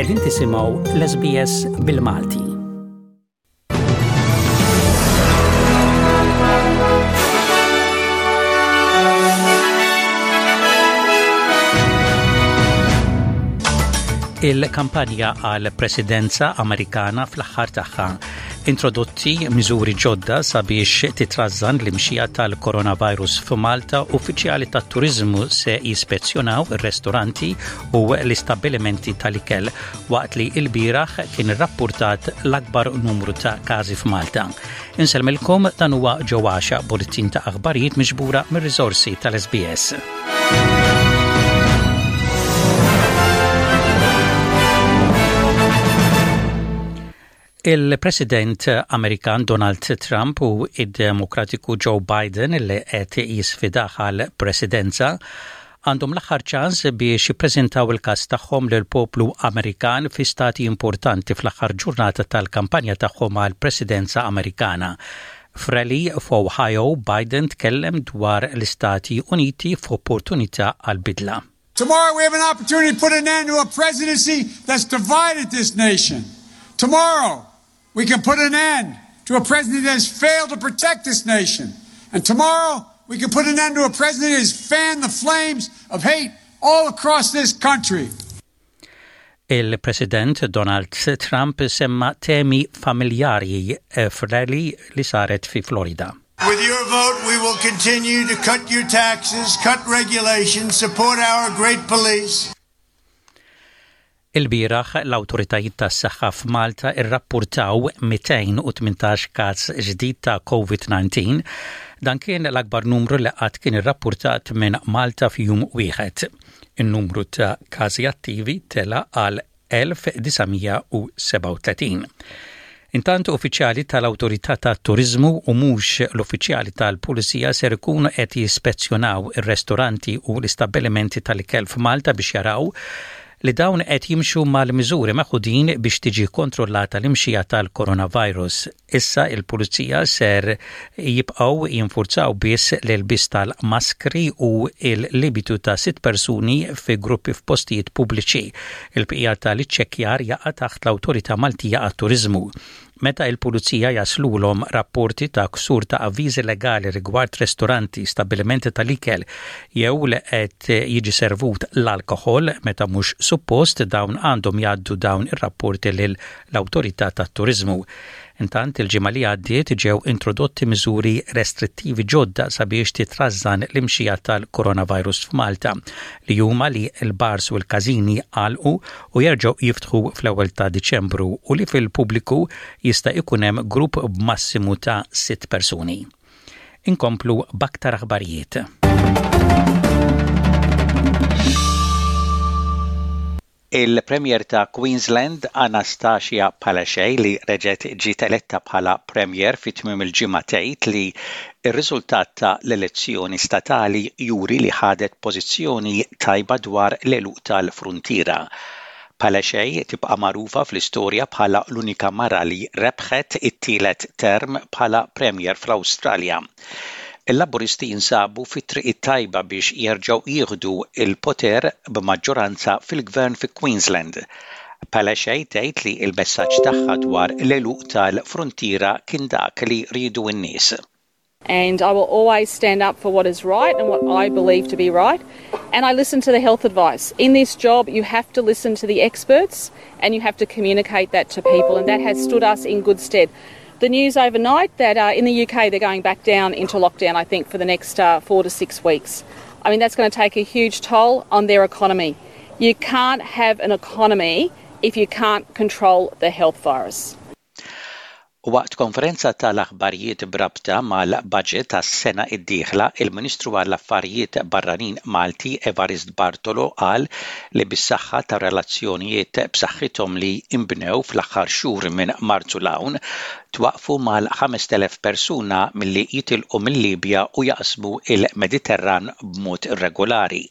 Qegħdin tisimgħu l-SBS bil-Malti. Il-kampanja għal presidenza Amerikana fl-aħħar tagħha introdotti miżuri ġodda sabiex titrażżan l-imxija tal-coronavirus f'Malta, uffiċjali tat-turiżmu se jispezzjonaw ir-restoranti u l-istabbilimenti tal-ikel waqt li l-bieraħ kien irrappurtat l-akbar numru ta' każi f'Malta. Insellmilkom dan huwa ġo għaxa bulletin ta' aħbarijiet miġbura mir-riżorsi tal-SBS. Il-President Amerikan Donald Trump u id-Demokratiku Joe Biden li qed jisfidah għal presidenza għandhom l-aħħar ċans biex jippreżentaw il-każ tagħhom lill-poplu Amerikan fi stati importanti fl-aħħar ġurnata tal-kampanja tagħhom għall-Presidenza Amerikana. F'rally f'Ohio, Biden tkellem dwar l-Istati Uniti f'opportunità għal bidla. Tomorrow we have an opportunity to put an end to a presidency that's divided this nation. Tomorrow we can put an end to a president that has failed to protect this nation. And tomorrow we can put an end to a president that has fanned the flames of hate all across this country. Il-President Donald Trump semma temi familjari eh, f'rally li saret fi Florida. With your vote, we will continue to cut your taxes, cut regulations, support our great police. Ilbieraħ l-awtoritajiet tas-saħħa f'Malta rrappurtaw 218 każ ġdid ta' Covid-19. Dan kien l-akbar numru li qatt kien irrappurtat minn Malta f'jum wieħed. In-numru ta' każi attivi tela' għal 1937. Intant uffiċjali tal-Awtorità tat-Turiżmu u mhux l-uffiċjali tal-Pulizija ser ikunu qed jispezzjonaw ir-restoranti u l-istabbilimenti tal-ikel f'Malta biex jaraw li dawn qed jimxu mal-miżuri meħudin biex tiġi kontrollata l-imxija tal-coronavirus. Issa il-Pulizija ser jibqgħu jinfurzaw biss l-ilbies tal-maskri u l-limitu ta' sitt persuni fi gruppi f'postijiet pubbliċi. Il-bqija tal-iċċekkjar jaqa' taħt l-Awtorità Maltija għat-Turiżmu. Meta il-Pulizija jaslulhom rapporti ta' ksur ta' avviżi legali rigward restoranti, stabbilimenti tal-ikel jew li qed jiġi servut l-alkoħol meta mhux suppost dawn għandhom jgħaddu dawn ir-rapporti lil l-Awtorità tat-Turiżmu. Intant, il-ġimgħa li għaddiet ġew introdotti miżuri restrittivi ġodda sabiex titrażżan l-imxija tal-coronavirus f'Malta, li huma li l-bars u l-każini għalqu u jerġgħu jiftħu fl-ewwel ta' Diċembru u li fil-pubbliku jista' jkun hemm grupp b'massimu ta' sitt persuni. Inkomplu b'aktar aħbarijiet. Il-Premier ta' Queensland Annastacia Palaszczuk li reġgħet ġiet eletta bħala Premier fi tmiem il-ġimgħa tgħid li r-riżultat ta' l-elezzjoni statali juri li ħadet pożizzjoni tajba dwar l-għeluq tal-fruntiera. Palaszczuk tibqa' magħrufa fl-istorja bħala l-unika mara li rebħet it-tielet term bħala Premier fl-Awstralja. Il-Laburisti jinsabu fit-triq it-tajba biex jerġgħu jieħdu l-poter b'maġġoranza fil-Gvern fi Queensland. Palaszczuk tgħid li l-messaġġ tagħha dwar l-għeluq tal-fruntiera kien dak li riedu n-nies. And I will always stand up for what is right and what I believe to be right. And I listen to the health advice. In this job, you have to listen to the experts and you have to communicate that to people. And that has stood us in good stead. The news overnight that uh, in the UK they're going back down into lockdown, I think, for the next uh, four to six weeks. I mean, that's going to take a huge toll on their economy. You can't have an economy if you can't control the health virus. Waqt konferenza tal-aħbarijiet b'rabta mal-budget għas-sena d-dieħla, il-Ministru għall-Affarijiet Barranin Malti Evarist Bartolo qal li bis-saħħa tar-relazzjonijiet b'saħħithom li nbnew fl-aħħar xhur minn Marzu 'l hawn, twaqqfu mal-5,000 persuna milli jitilqu mil-Libja u jaqsmu l-Mediterran b'mod irregolari.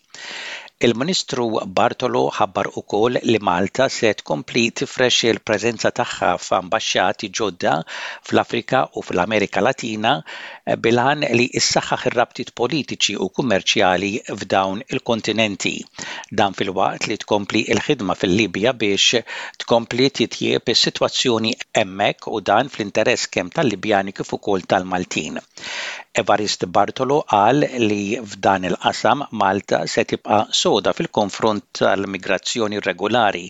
Il-Ministru Bartolo ħabbar ukoll li Malta se tkompli tifrex il-preżenza tagħha f'ambaxxati ġodda fl-Afrika u fl-Amerika Latina bil-għan li ssaħħaħ ir-rabtiet politiċi u kummerċjali f'dawn il-kontinenti. Dan filwaqt li tkompli l-ħidma fil-Libja biex tkompli titjieb is-sitwazzjoni hemmhekk u dan fl-interess kemm tal-Libjani kif ukoll tal-Maltin. Evarist Bartolo qal li f'dan il-qasam Malta se tibqa' soda fil-konfront tal-migrazzjoni irregolari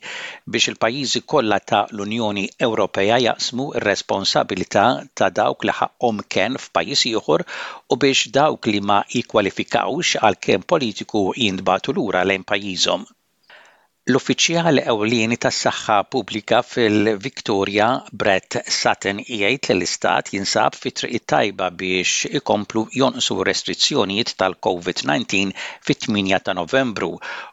biex il-pajjiżi kollha ta' l-Unjoni Ewropea jaqsmu r-responsabilità ta' dawk li ħaqqhom kenn f'pajjiż ieħor u biex dawk li ma jikkwalifikawx għal kenn politiku jintbagħtu lura lejn pajjiżhom. L-uffiċjal ewlieni tas-saħħa pubblika fil-Victoria, Brett Sutton jgħid li l-istat jinsab fit-triq it-tajba biex ikomplu jonqsu r-restrizzjonijiet tal-COVID-19 fit-8 ta' Novembru.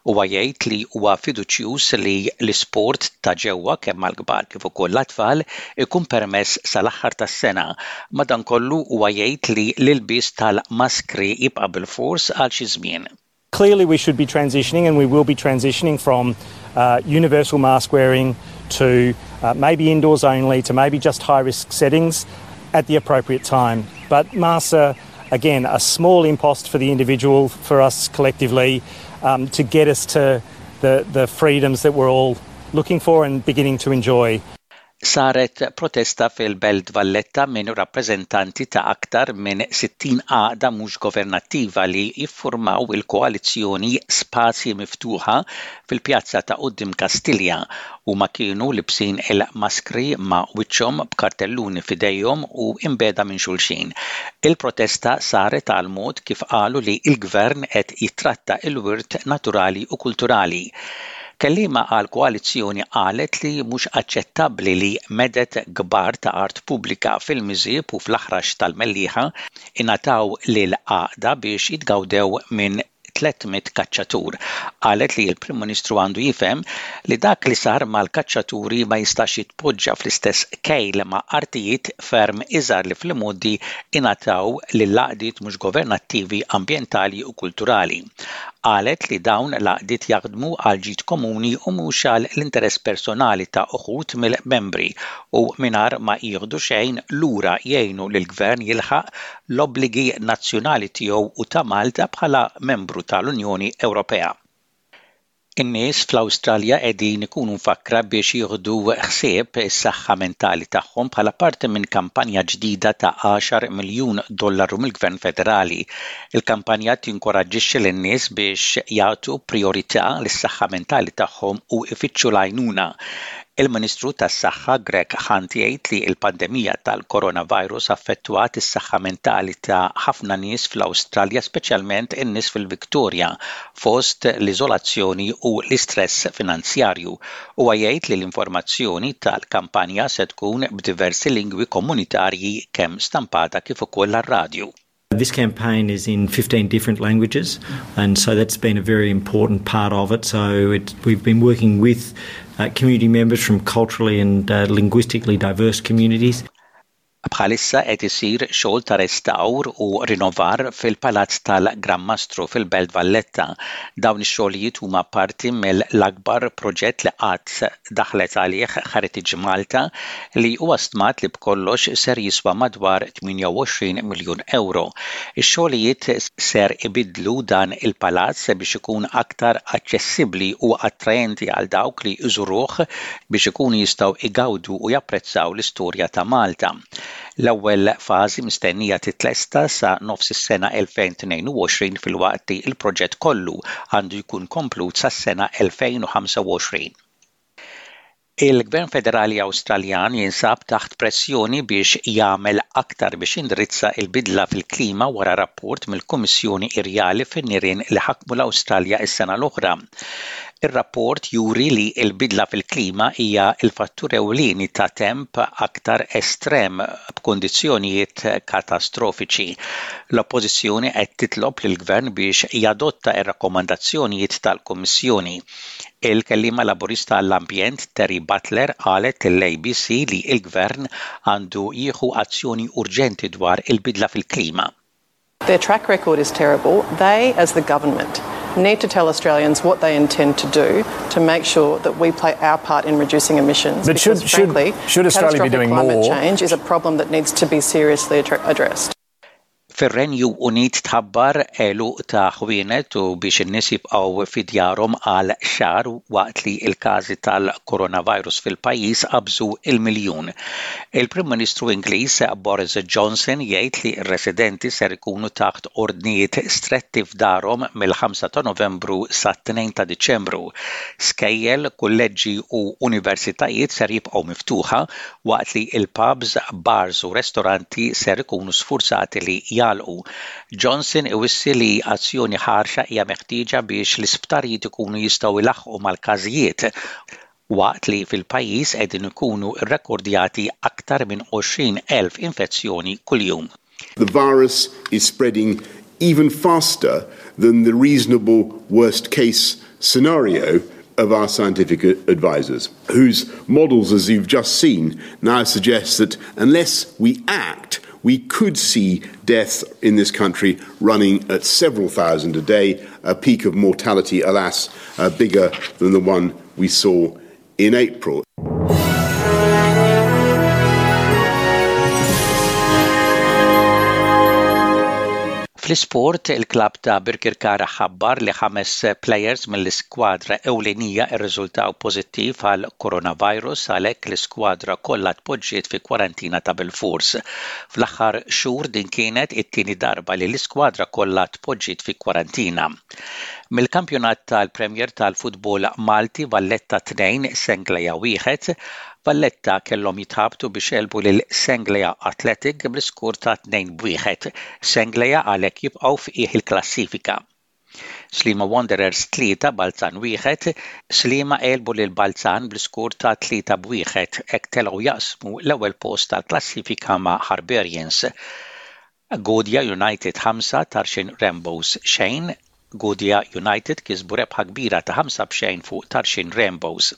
Huwa jgħid li huwa fiduċjuż li l-isport ta' ġewwa kemm għall-kbar kif ukoll l-atfal ikun permess sal-aħħar tas-sena. Madankollu huwa jgħid li l-ilbies tal-maskri jibqa' bilfors għal xi żmien. Clearly we should be transitioning and we will be transitioning from uh, universal mask wearing to uh, maybe indoors only to maybe just high risk settings at the appropriate time. But masks are, again, a small impost for the individual, for us collectively, um, to get us to the, the freedoms that we're all looking for and beginning to enjoy. Saret protesta fil-Belt Valletta minn rappreżentanti ta' aktar minn 60 għaqda mhux governattiva li jiffurmaw il-koalizzjoni Spazji Miftuħa fil-pjazza ta' quddiem Kastilja. Huma kienu libsin il-maskri ma' wiċċhom b'kartelluni f'idejhom u imbiegħda minn xulxin. Il-protesta saret għal mod kif qalu li l-Gvern qed jittratta l-wirt naturali u kulturali. Kelliema għall-koalizzjoni qalet li mhux aċċettabbli li meded kbar ta' art pubblika fil-Miżieb u fl-Aħrax tal-Mellieħa ingħataw lil għaqda biex jitgawdew minn 300 kaċċatur. Qalet li l-Prim Ministru għandu jifhem li dak li sar mal-kaċċaturi ma jistax jitpoġġa fl-istess kejl ma' artijiet ferm iżgħar li fl-imgħoddi ingħataw lil għaqdiet mhux governattivi ambjentali u kulturali. Qalet li dawn l-għaqdiet jaħdmu għall-ġid komuni u mhux għal l-interess personali ta' uħud mill-membri u mingħajr ma jieħdu xejn lura jgħinu lill-Gvern jilħaq l-obbligi nazzjonali tiegħu u ta' Malta bħala membru tal-Unjoni Ewropea. In-nies fl-Awstralja qegħdin ikunu mfakkra biex jieħdu ħsieb is-saħħa mentali tagħhom bħala parti minn kampanja ġdida ta' għaxar miljun dollaru mill-Gvern Federali. Il-kampanja tinkoraġġixxi lin-nies biex jagħtu prijorità lis-saħħa mentali tagħhom u jfittxu l-għajnuna. Il-Ministru tas-Saħħa Greg Hunt jgħid li l-pandemija tal-coronavirus affettwat is-saħħa mentali ta' ħafna nies fl-Awstralja speċjalment in-nies fil-Victoria fost l-iżolazzjoni u l-istress finanzjarju. Huwa jgħid li l-informazzjoni tal-kampanja se tkun b'diversi lingwi komunitarji kemm stampata kif ukoll għar-radju. This campaign is in 15 different languages, and so that's been a very important part of it. So it, we've been working with uh, community members from culturally and uh, linguistically diverse communities. Bħalissa qed isir xogħol ta' restawr u rinnovar fil-Palazz tal-Gran Mastru fil-Belt Valletta. Dawn ix-xogħlijiet huma parti mill-akbar proġett li qatt daħlet għalih Heritage Malta li huwa stmat li b'kollox ser jiswa madwar 28 miljun ewro. Ix-xogħlijiet ser ibiddlu dan il-palazz biex ikun aktar aċċessibbli u attraenti għal dawk li jżuruh biex ikunu jistgħu jgawdu u japprezzaw l-istorja ta' Malta. L-ewwel fażi mistennija titlesta sa nofs is-sena 2022 filwaqt li l-proġett kollu għandu jkun komplut sas-sena 2025. Il-Gvern Federali Awstraljan jinsab taħt pressjoni biex jagħmel aktar biex jindirizza l-bidla fil-klima wara rapport mill-Kummissjoni Irjali fin-nirien li ħakmu l-Awstralja s-sena l-oħra. Ir-rapport juri li l-bidla fil-klima hija l-fattur ewlieni ta' temp aktar estrem b'kundizzjonijiet katastrofiċi. L-Oppożizzjoni qed titlob lill-Gvern biex jadotta r-rakkomandazzjonijiet tal-Kummissjoni. Il-kelliema Laburista għall-Ambjent Terry Butler qalet lill-ABC li l-Gvern għandu jieħu azzjoni urġenti dwar il-bidla fil-klima. Their track record is terrible. They, as the government, need to tell Australians what they intend to do to make sure that we play our part in reducing emissions. But because, should, should, frankly, should Australia be catastrophic doing climate more? change is a problem that needs to be seriously addressed. Fir-Renju Unit tħabbar għeluq ta' ħwienet u biex in-nies jibqgħu fi djarhom għal xahar waqt li l-każi tal-coronavirus fil-pajjiż qabżu l-miljun. Il-Prim Ministru Ingliż Boris Johnson jgħid li r-residenti ser ikunu taħt ordnijiet stretti f'darhom mill-5 ta' Novembru sat-2 ta' Diċembru. Skejjel, kulleġġi u universitajiet ser jibqgħu miftuħa waqt li l-pubs, bars u restoranti ser ikunu sfurzati li jagħlqu. Johnson iwissi li azzjoni ħarxa hija meħtieġa biex l-isptarijiet ikunu jistgħu jlaħħqu mal-każijiet waqt li fil-pajjiż qegħdin ikunu rrekordjati aktar minn 20,000 infezzjoni kuljum. The virus is spreading even faster than the reasonable worst case scenario of our scientific advisors, whose models, as you've just seen, now suggest that unless we act, we could see deaths in this country running at several thousand a day, a peak of mortality, alas, uh, bigger than the one we saw in April. Fl-isport, il-klabb ta' Birkirkara ħabbar li ħames plejers mill-iskwadra ewlenija rriżultaw pożittiv għal coronavirus għalhekk l-iskwadra kollha tpoġġiet fi kwarantina ta' bilfors. Fl-aħħar xhur din kienet it-tieni darba li l-iskwadra kollha tpoġġiet fi kwarantina. Mill-kampjonat tal-Premier tal-futbol Malti Valletta 2, Senglea 1, Valletta kellhom jitħabtu biex għelbu lil Senglea Athletic bl-iskur ta' 2 b'wieħed. Senglea għalhekk jibqgħu f'qiegħ il-klassifika. Sliema Wanderers 3, Balzan 1, Sliema għelbu lil Balzan bl-iskur ta' 3 b'wieħed, hekk telgħu jaqsmu l-ewwel post tal-klassifika ma' Harbarians. Gudja United 5, Tarxien Rainbows xejn, Gudja United kisbu rebħa kbira ta' 5 b'xejn fuq Tarxien Rainbows.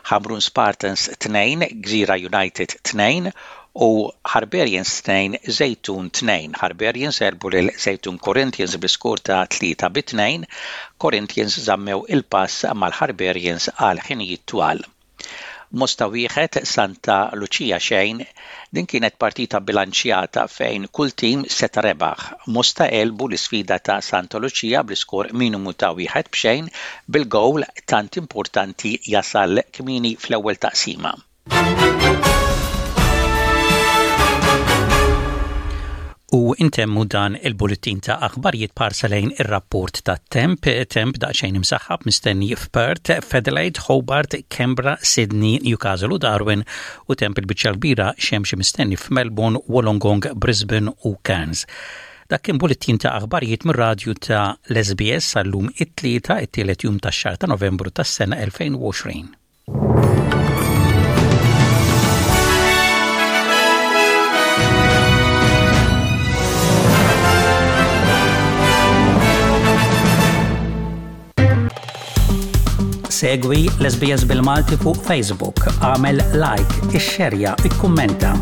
Ħamrun Spartans 2, Gżira United 2 u Harbarians 2, Żejtun 2. Harbarians għelbu lil Żejtun Corinthians bl-iskur ta' 3 bi 2, Corinthians żammew il-pass mal-Harbarians għal ħinijiet twal. Mosta wieħed, Santa Lucia xejn, Din kienet partita bilanċjata fejn kull tim seta' rebaħ. Mosta għelbu l-isfida ta' Santa Lucia bl-iskor minimu ta' wieħed b'xejn bil-gowl tant importanti jasal kmieni fl-ewwel taqsima. U intemmu dan il-bulletin ta' aħbarijiet parsa lejn ir-rapport ta' temp, temp daqsxejn imsaħħab mistenni f'Perth, f'Adelaide, Hobart, Canberra, Sydney, Newcastle u Darwin u temp il-biċċa kbira xemx mistenni f'Melbourne, Wollongong, Brisbane u Cairns. Dak kien bulletin ta' aħbarijiet mir-radju ta' l-SBS għallum it-tlieta, it-tielet jum tax-xahar ta' Novembru tas-sena 2020. Segwi l-SBS bil-Malti fuq Facebook, għamel like, ixxerja, ikkummenta.